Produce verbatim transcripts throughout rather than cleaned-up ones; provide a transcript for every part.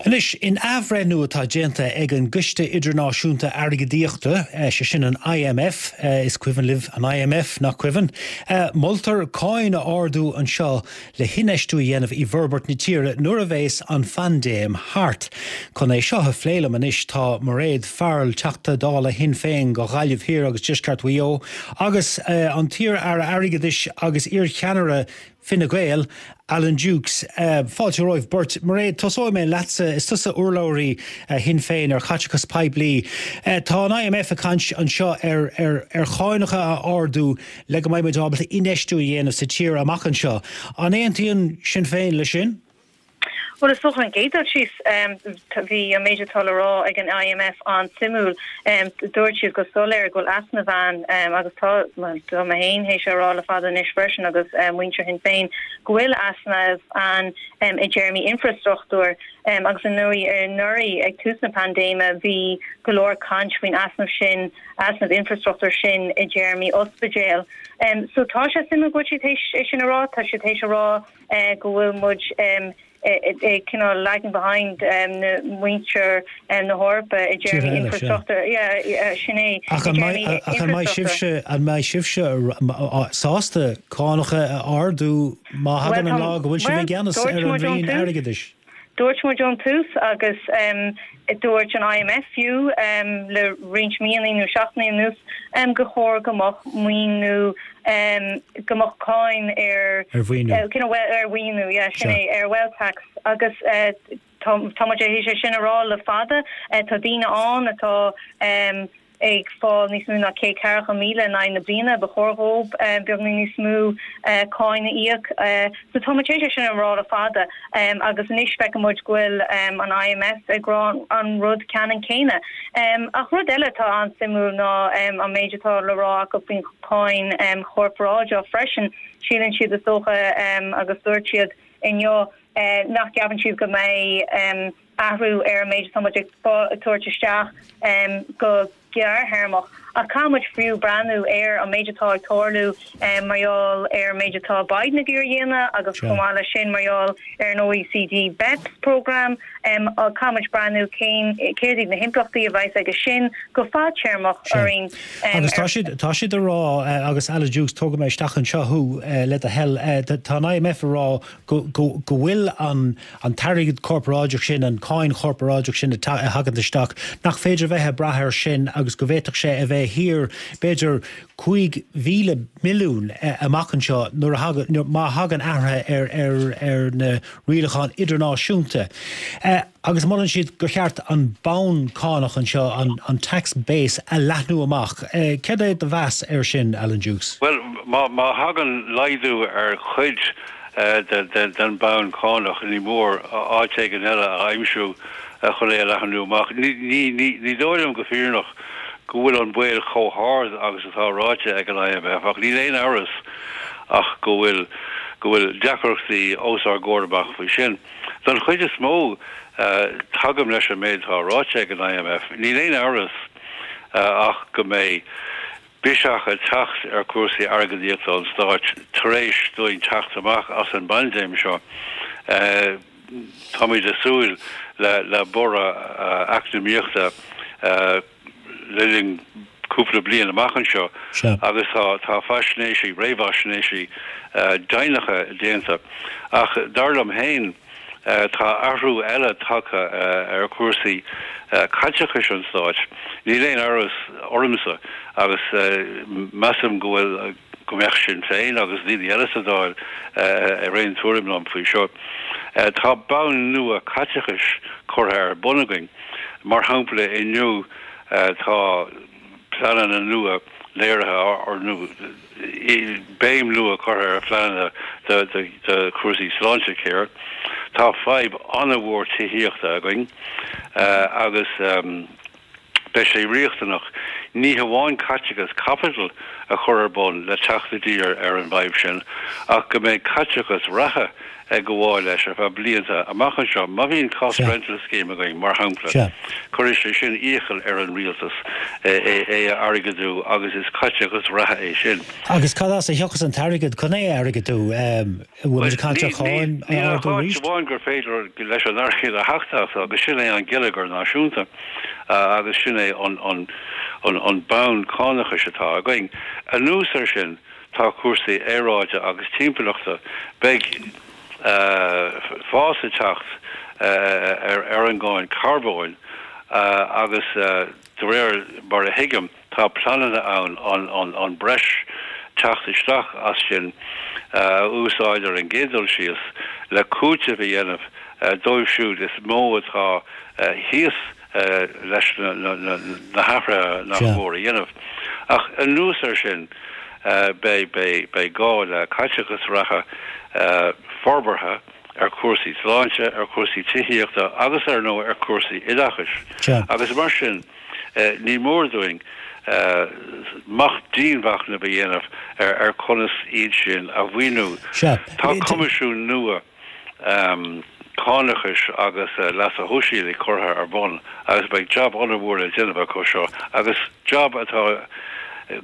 Anois, in athbhreithniú atá déanta ag an gCoiste Idirnáisiúnta Airgeadaíochta, sé sin an I M F, is cuimhin libh an I M F, nach cuimhin, moltar cáin a ardú anseo le hinfheistiú a dhéanamh i bhforbairt na tíre nuair a bheas an phaindéim thart. Chun é seo a phlé liom anois tá Mairéad Farrell, Teachta Dála Shinn Féin do Ghaillimh Thiar agus Deisceart Mhaigh Eo, agus an t-iar-aire airgeadais agus iarcheannaire Fine Gael, Alan Dukes. Uh, fáilte romhaibh beirt. Mairéad, tosóidh mé leatsa. Is tusa urlabhraí uh, Shinn Féin ar chaiteachas poiblí. Uh, tá an I M F ag caint anseo ar, ar, ar chánacha a ardú le go mbeidh muid ábalta infheistiú a dhéanamh sa tír amach anseo. An aontaíonn Sinn Féin le sin? Well, is dócha an gcéad síos, bhí an méid atá le rá ag an I M F an-suimiúil. Dúirt siad go soiléir go bhfuil easnamh ann, agus tá tá mé féin théis rá le fada anois freisin agus muintir Shinn Féin go bhfuil easnamh ann i dtéarmaí infrastruchtúr, agus an nuair anuraidh ag tús na paindéime bhí go leor caint faoin easnamh sin, easnamh infrastruchtúr sin i dtéarmaí ospidéal. Um, so tá sé suimiúil go bhfuil siad é sin a rá. Tá sé théis a rá uh, go bhfuil muid um, cineál lagging behind um, na muintir um, na hEorpa i dtéarmaí infrastruchtúr sin é. Ach an mbeidh sibhse an mbeidh sibhse sásta cánacha a ardú má thagann an lá go bhfuil sibh i gceannas ar an roinn airgeadais? Dúirt muid ón tús agus um, dúirt an I M F fiú um, le roinnt míonna nó seachtainí anuas um, gur chóir go mbeadh maoiniú, um, go mbeadh cáin ar ar mhaoiniú. uh, ar mhaoiniú, yeah, sin é, ar wealth tax, agus uh, tá muid théis sin a rá le fada. uh, tá daoine ann atá um, ag fáil níos mó ná céad ceathracha míle in aghaidh na bliana, ba chóir dóibh um, beagáinín níos mó uh, cáin a íoc. uh, so tá sé sin an rá le fada, um, agus anois feicimid go bhfuil um, an I M F ag rá an rud ceannann céanna. Um, ach rud eile tá an-suimiúil ná um, an méid atá le rá acu faoin cháin um, chorparáideach freisin. Síleann siad, is dócha, um, agus dúirt siad inniu uh, nach gceapann siad go mbeidh um, athrú ar an méid atá ag tabhairt isteach um, go gearrthéarmach, ach caithfimid fiú breathnú ar an méid atá ag tarlú um, mar gheall ar an méid atá Biden ag iarraidh a dhéanamh agus chomh maith leis sin mar gheall ar an O E C D BEPS program. um, caithfimid breathnú cén céard iad na himpleachtaí a bheas aige sin go fadtéarmach orainn. Agus tá siad tá siad a rá, agus Alan Dukes, tógfaidh mé isteach anseo thú le do thoil, tá an I M F a rá go bhfuil an an t-airgead corparáideach sin, an cáin chorparáideach sin a thagann isteach, nach féidir bheith ag brath air sin agus go bhféadfadh sé a bheith thiar b'fhéidir cúig mhíle milliún amach anseo nuair má thagann athruithe ar ar ar na rialacháin idirnáisiúnta. Agus molann siad gur cheart an bonn cánach anseo, an, an tax base, a leathnú amach. Céard é do mheas air sin, Alan Dukes? Well, má má thagann laghdú ar chuid den bonn cánach, ní mór áit éigin eile a aimsiú chun é a leathnú amach. Ní dóigh liom go fírinneach go bhfuil an baol chomh hard agus atá ráite ag an I M F, ach níl aon amhras ach go bhfuil go bhfuil deacrachtaí os ár gcomhair amach faoi sin. Don chuid is mó, tagaim leis an méid atá ráite ag an I M F. Níl aon amhras ach go mbeidh biseach ag teacht ar chúrsaí airgeadaíochta an stáit tar éis dúinn teacht amach as an bpaindéim seo. Táimid ag súil le le borradh eacnamaíochta le linn cúpla bliain amach anseo agus tá tá faisnéisí, réamhaisnéisí deimhneacha déanta, ach dar liom féin tá athrú eile tagtha ar chúrsaí caiteachais an stáit. Níl aon amhras ormsa, agus measaim go bhfuil go mbeadh Sinn Féin agus daoine eile sa Dáil ar aon tuairim liom faoi seo. Tá bonn nua caiteachais curtha ar bun againn. Mar shampla, inniu tá pleananna nua léirithe ar nó béim nua curtha ar phleananna de chúrsaí sláintecare. Tá fadhb an-mhór tithíochta againn agus beidh sé riachtanach ní hamháin caiteachas caipitil a chur ar bun le teacht i dtír ar an bhfadhb sin, ach go mbeidh caiteachas reatha ag gabháil leis ar feadh blianta amach anseo. Má bhíonn cost rental scheme againn, mar shampla, cuirfidh sé sin iachall ar an rialtas é a airgeadú agus is caiteachas reatha é sin. Agus cad as a thiocfas an t-airgead chun é a airgeadú? Bhfuil muid ag caint ar cháin a ardú arís? Níl ach áit amháin gur féidir leis an airgead a theacht as agus sin é an geilleagar náisiúnta agus sin é an bonn cánachais atá againn. Anuas air sin, tá cúrsaí aeráide agus timpeallachta. Beidh fás ag teacht ar an gcáin carbóin agus de réir mar a thuigim, tá pleananna ann an breis teacht isteach as sin a úsáid ar an gcéad dul síos le cúiteamh a dhéanamh dóibh siúd is mó atá thíos leis na hathruithe nach mór a dhéanamh. Ach anuas air sin, beidh gá le caiteachas reatha forbartha ar chúrsaí sláinte, ar chúrsaí tithíochta agus ar ndóigh ar chúrsaí oideachais. Agus mar sin, ní mór dúinn dianmhachnamh a dhéanamh ar conas iad sin a mhaoiniú. Tá coimisiún nua cánachais agus leasa shóisialaigh curtha ar bun agus beidh jab ollmhór le déanamh acu seo agus jab atá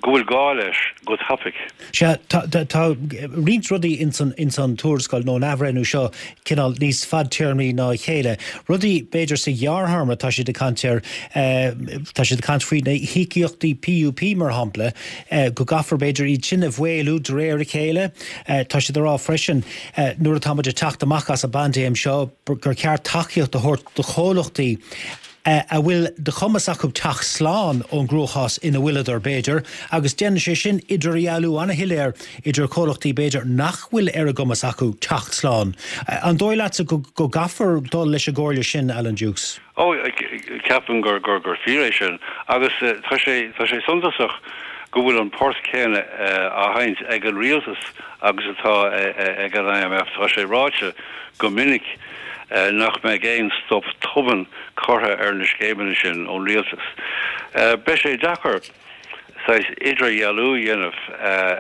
go bhfuil gá leis go tapaidh. Sea, tá roinnt rudaí ins an tuarascáil nó an athbhreithniú seo cineál níos fadtéarmaí ná a chéile. Rudaí b'fhéidir sa ghearrthéarma tá siad ag caint air, tá siad ag caint faoi na híocaíochtaí PUP mar shampla, go gcaithfear b'fhéidir iad sin a mhaolú de réir a chéile. Tá siad ag rá freisin nuair atá muid ag teacht amach as an bpaindéim seo gur ceart tacaíocht a thabhairt do chomhlachtaí a bhfuil de chumas acu teacht slán ón gcruachás ina bhfuileadar, b'fhéidir, agus déanann sé sin idirdhealú an-shoiléir idir comhlachtaí, b'fhéidir, nach bhfuil ar a gcumas acu teacht slán. An dóigh leatsa go gcaithfear dul leis an gcomhairle sin, Alan Dukes? Ó, ceapaim gur gur fíor é sin agus tá sé tá sé suntasach go bhfuil an port céanna á sheinnt ag an rialtas agus atá ag an I M F. Tá sé ráite go minic nach mbeidh aon stop tobann curtha ar na scéimeanna sin ón rialtas. Beidh sé deacair saghas idirdhealú a dhéanamh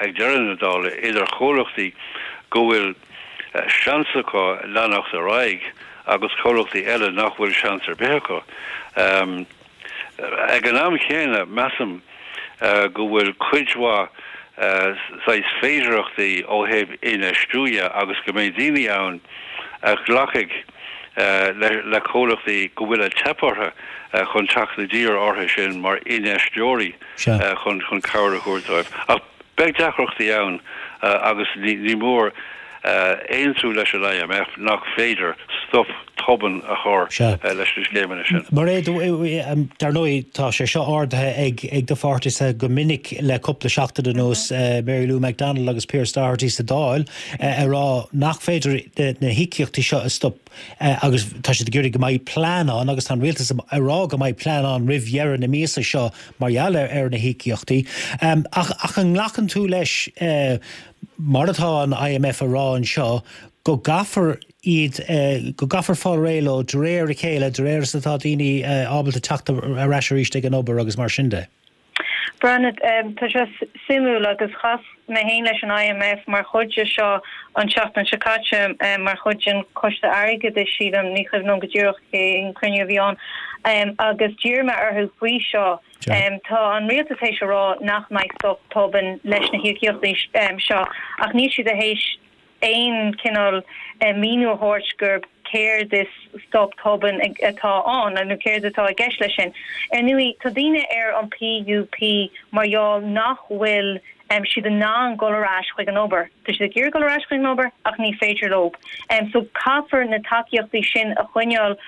ag deireadh na dála idir chomhlachtaí go bhfuil seans acu leanacht ar aghaidh agus comhlachtaí eile nach bhfuil seans ar bith acu. Ag an am chéanna, measaim go bhfuil cuid mhaith saghas féidearthachtaí ó thaobh infheistiú dhe agus go mbeidh daoine ann a ghlacfaidh le comhlachtaí go bhfuil ag teip orthu chun teacht i dtír orthu sin mar infheisteoirí chun chun cabhair a thabhairt dóibh. Ach beidh deacrachtaí ann agus ní mór aontú leis an I M F nach féidir stop tobann a chur leis na scéimeanna sin. Mairéad, dar ndóigh tá sé seo ardaithe ag ag do pháirtise go minic le cúpla seachtain anuas, Mary Lou McDonald agus Pearse Doherty sa Dáil, ag rá nach féidir na híocaíochtaí seo a stop agus tá siad ag iarraidh go mbeidh plean ann agus tá an rialtas ag rá go mbeidh plean ann roimh dheireadh na míosa seo mar gheall ar na híocaíochtaí. Ach ach an nglacann tú leis, mar atá an I M F a rá anseo, go gcaithfear iad, go gcaithfear fáil réidh leo de réir a chéile, de réir is atá daoine ábalta teacht ar ais arís ag an obair agus mar sin de? Breathnaigh, tá sé suimiúil agus chas mé féin leis an I M F mar chuid de seo an tseachtain seo caite, mar chuid den Choiste Airgeadais, sílim, ní cuimhin liom go díreach cén cruinniú a bhí ann, agus d'iarr mé orthu faoi seo. Tá an rialtas théis a rá nach mbeidh stop tobann leis na híocaíochtaí seo ach níl siad théis aon cineál míniú a thabhairt gur céard is stop tobann atá ann nó céard atá i gceist leis sin. Ar ndóigh, tá daoine ar an P U P mar gheall nach bhfuil siad in ann dul ar ais chuig an obair. Tá siad ag iarraidh dul ar ais chuig an obair ach ní féidir leo. So caithfear na tacaíochtaí sin a choinneáil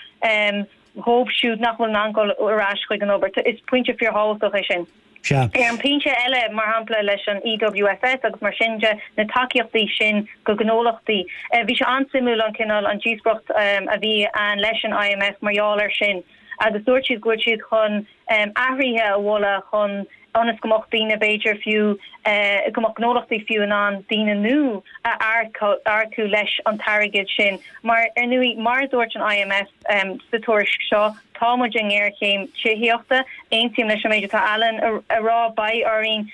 dhóibh siúd nach bhfuil in ann dul ar ais chuig an obair. Is pointe fíorthábhachtach é sin. Sea. Ar an bpointe eile, mar shampla leis an E W S S agus mar sin de, na tacaíochtaí sin go gnólachtaí, bhí sé an-suimiúil an cineál an díospóireacht a bhí ann leis an I M F mar gheall air sin agus dúirt siad go bhfuil siad chun athruithe a mholadh chun ionas go mbeadh daoine b'fhéidir fiú go mbeadh gnólachtaí fiú in ann daoine nua a earcú leis an t-airgead sin. Mar ar ndóigh mar a dúirt an I M F sa tuairisc seo, tá muid i ngéarchéim tithíochta. Aontaím leis an méid atá Alan a rá, beidh orainn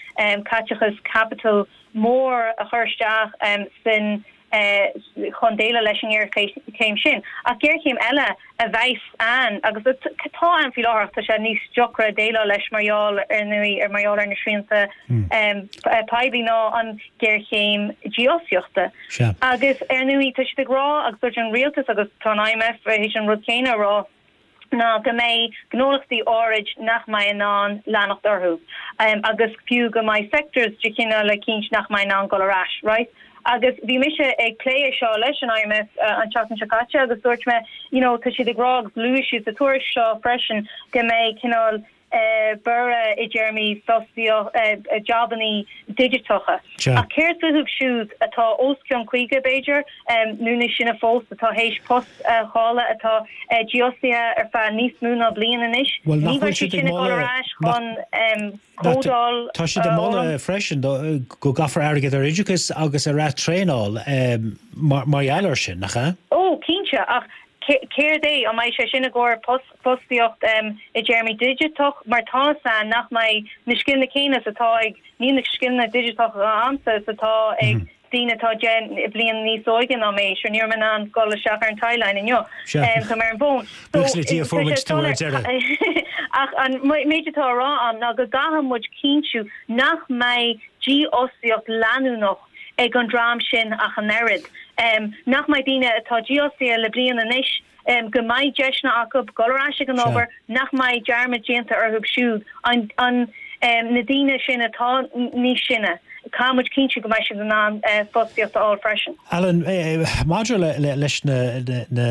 caiteachas caipitil mór a chur isteach sin chun déileáil leis an ngéarchéim sin. Ach géarchéim eile a bheas ann agus atá ann faoi láthair, tá sé níos deacra déileáil leis mar gheall ar ndóigh ar mar gheall ar na srianta poiblí, ná an géarchéim dífhostaíochta. Agus ar ndóigh tá siad ag rá agus dúirt an rialtas agus tá an I M F théis an rud céanna a rá, ná go mbeidh gnólachtaí áirid nach mbeidh in ann leanacht orthu um, agus fiú go mbeidh sectors de chineál eicínt nach mbeidh in ann dul ar ais, right? Agus bhí mise ag plé seo leis an I M F uh, an tseachtain seo caite agus dúirt mé you know, tá siad ag rá agus luaigh siad sa tuairisc seo freisin go mbeidh cineál uh, borradh i dtéarmaí fostaíocht uh, jabannaí digiteacha. Ach céard fúthu siúd atá os cionn caoga b'fhéidir um, nó níos sine fós atá théis post uh, chailleadh, atá uh, dífhostaithe ar feadh níos mó ná bliain anois? Well, ní bheidh siad sin ag dul ar ais chun um, códáil. Tá siad ag moladh freisin go gcaithfear airgead ar oideachas agus ar traenáil um, mar mar gheall air sin, nach ea? Ó, cinnte, ach céard é an mbeidh sé sin i gcomhair fostaíocht um, i dtéarmaí digiteach, mar tá san nach mbeidh na scileanna céanna atá ag ní na scileanna digiteacha agamsa is atá ag mm -hmm. daoine atá deich bliain níos óige ná mé, sure ní raibh mé in ann dul isteach ar an timeline inniu tá mar an bhón. Ach an méid atá á rá agam ná go gcaithfidh muid cinntiú nach mbeidh dífhostaíocht leanúnach ag an dream sin ach an oiread. Um, nach mbeidh daoine atá dífhostaithe le bliain anois um, go mbeidh deiseanna acu dul ar ais ag an obair, nach mbeidh dearmad déanta orthu siúd an, an um, na daoine sin atá níos sine. Caithfidh muid cinntiú go mbeidh siad in ann uh, fostaíocht a fháil freisin. Alan, eh, maidir le, le, leis na, na, na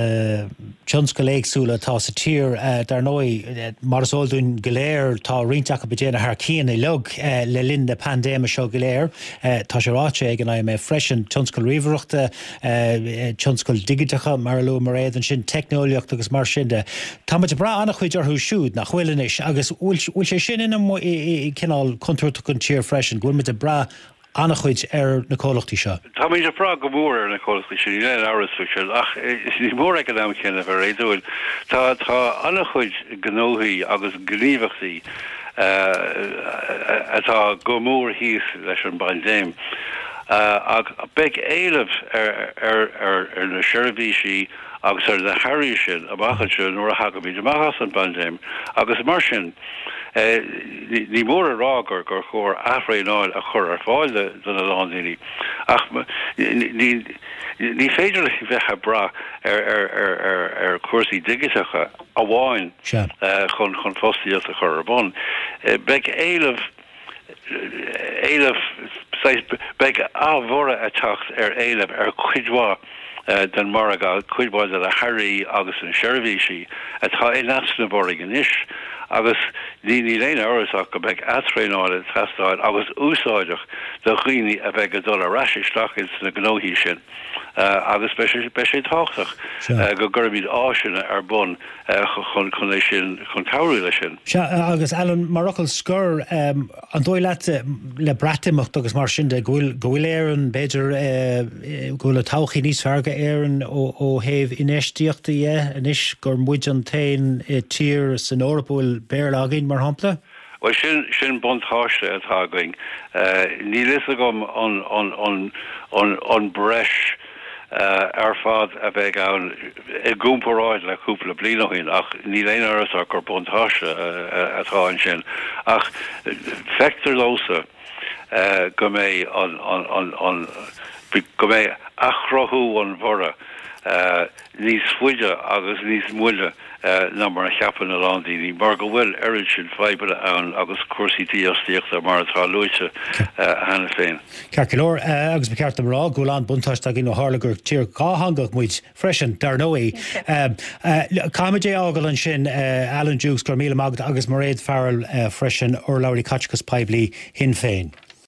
tionscail éagsúla atá sa tír, eh, dar ndóigh, eh, mar is eol dúinn go léir, tá roinnt acu ag déanamh thar cionn uilig eh, le linn na paindéime seo go léir. Eh, tá sé ráite ag an I M F freisin, tionscal ríomhaireachta, eh, tionscail dhigiteacha mar a luaigh Mairéad ansin, teicneolaíocht agus mar sin de. Tá muid ag brath an-chuid orthu siúd, nach bhfuil anois, agus bhfuil sé sin ina cineál contúirteach don tír freisin, go bhfuil muid ag brath an-chuid ar na comhlachtaí seo. Tá muid ag brath go mór ar na comhlachtaí sin, níl amhras faoi sin, ach ní mór ag an am céanna bheith réadúil. Tá tá an-chuid gnóthaí agus gníomhaíochtaí atá go mór thíos leis an bpaindéim. Uh, ach beidh éileamh ar, ar, ar, ar na seirbhísí agus ar na hearraí sin amach anseo nuair a thagaimid amach as an bpaindéim agus mar sin eh, ní mór a rá gur gur chóir aththraenáil a chur ar fáil do na lándaoine ach ní ní féidir le bheith ag brath ar ar ar ar ar chúrsaí digiteacha amháin uh, chun chun fostaíocht a chur ar bun. Uh, beidh éileamh éileamh beidh ábhóra ag teacht ar éileamh ar chuid mhaith uh, den margadh, cuid mhaith de na hearraí agus na seirbhísí atá in easnamh orainn anois agus ní ní aon amhras ach go mbeidh athtraenáil ag teastáil agus úsáideach do dhaoine a bheidh ag dul ar ais isteach ins na gnóthaí sin. Uh, agus beidh sé tábhachtach uh, go gcuirfimid áiseanna ar bun uh, chun chun é sin chun cabhrú leis sin. Sea, agus Alan, mar fhocal scoir, um, an dóigh leat le Breatimeacht agus mar sin de go bhfuil Éirinn b'fhéidir go bhfuil an todhchaí níos fearr d'Éirinn ó thaobh infheistíochta dhe anois gur muid an t-aon tír san Eoraip a bhfuil Béarla againn mar shampla? Well sin sin buntáiste atá againn. Uh, Níl a fhios agam an, an, an, an, an breis uh, ar fad a bheidh ann i gcomparáid le cúpla bliain ó shin, ach níl aon amhras ach gur buntáiste uh, atá ansin. Ach feictear domsa uh, go mbeidh an, an, an, an, go mbeidh athchruthú an bhorradh uh, níos faide agus níos moille uh, ná mar a cheapann a lán daoine, mar go bhfuil oiread sin fadhbanna ann agus cúrsaí dífhostaíochta mar atá luaite cheana féin. Ceart go leor, agus ba cheart a rá go bhfuil an buntáiste againn ó tharla gur tír dhátheangach muid freisin dar ndóigh. Caithfimid é a fhágáil ansin, Alan Dukes, go míle maith agus Mairéad Farrell freisin, urlabhraí caiteachas poiblí Shinn Féin.